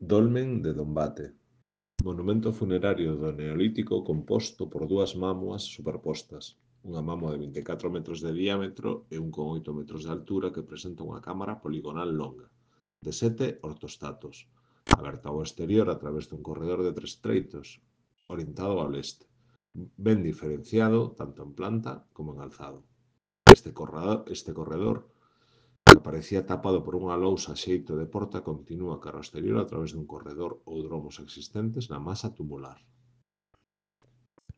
Dolmen de Dombate. Monumento funerario do Neolítico composto por dúas mámoas superpostas. Unha mámoa de 24 metros de diámetro e 1,8 metros de altura que presenta unha cámara poligonal longa, de 7 ortostatos, aberta ao exterior a través dun corredor de 3 treitos, orientado ao leste, ben diferenciado tanto en planta como en alzado. Este corredor, que parecía tapado por unha lousa a xeito de porta, continúa cara ao exterior a través dun corredor ou dromos existentes na masa tumular.